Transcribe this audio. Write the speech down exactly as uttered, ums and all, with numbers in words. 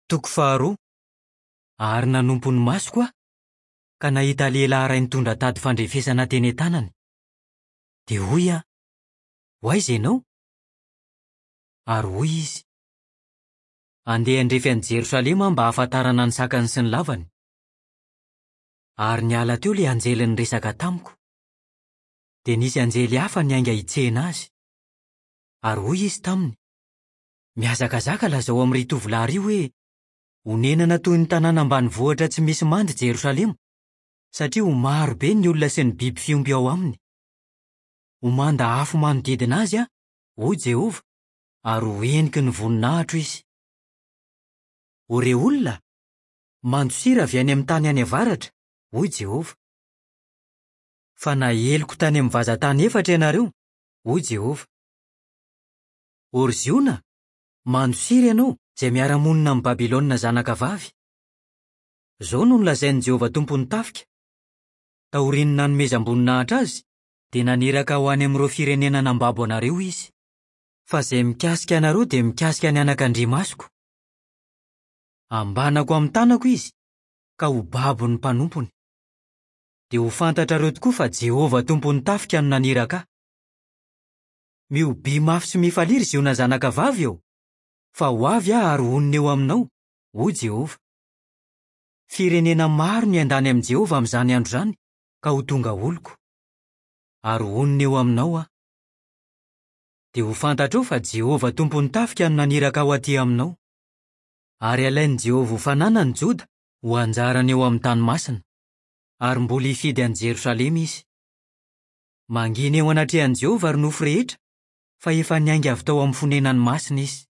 Toko faharoa. Ary nanompo ny masoko aho, ka nahita lehilahy iray nitondra tady fandrefesana teny an-tanany. Dia hoy aho: "Ho aiza ianao?" Ary hoy izy: "Andeha handrefy an'i Jerosalema aho mba hahafantarana ny sakany sy ny lavany." Ary niala teo ilay anjely niresaka tamiko. Dia nisy anjely hafa niainga hitsena azy. Ary hoy izy taminy: "Mihazakazaka lazao amin'ry tovolahy ry hoe: Honenana toy ny tanàna ambanivohitra tsy misy manda i Jerosalema, satria ho maro be ny olona sy ny biby fiompy ao aminy. Ho manda afo manodidina azy aho, hoy Jehovah, ary ho heniky ny voninahitro izy. O re olona, mandosira avy any amin'ny tany any avaratra, hoy Jehovah. Fa naheliko tany amin'ny vazan-tany efatra ianareo, hoy Jehovah. O ry Ziona, mandosira ianao izay miara-monina amin'i Babylona zanakavavy. Izao no nolazain'i Jehovah Tompon'ny tafika: Taorian'ny nanomezam-boninahitra azy, dia naniraka ho any amin'ireo firenena nambabo anareo izy. Fa izay mikasika anareo dia mikasika ny anakandriamasoko. Ambanako amin'ny tanako izy, ka ho babo ny mpanompony. Dia ho fantatrareo tokoa fa Jehovah Tompon'ny tafika no naniraka ahy. Mihobiha mafy sy mifalia ry Ziona zanakavavy ô, fa ho avy aho ary honina eo aminao, hoy Jehovah. Firenena maro no hiandany amin'i Jehovah amin'izany andro izany, ka ho tonga oloko. Ary honina eo aminao aho. Dia ho fantatrao fa Jehovah Tompon'ny tafika no naniraka ahy ho aty aminao. Ary halain'i Jehovah ho fananany Joda, ho anjarany eo amin'ny tany masina. Ary mbola hifidy an'i Jerosalema izy. Mangina eo anatrehan'i Jehovah ry nofo rehetra, fa efa niainga avy tao amin'ny fonenany masina izy.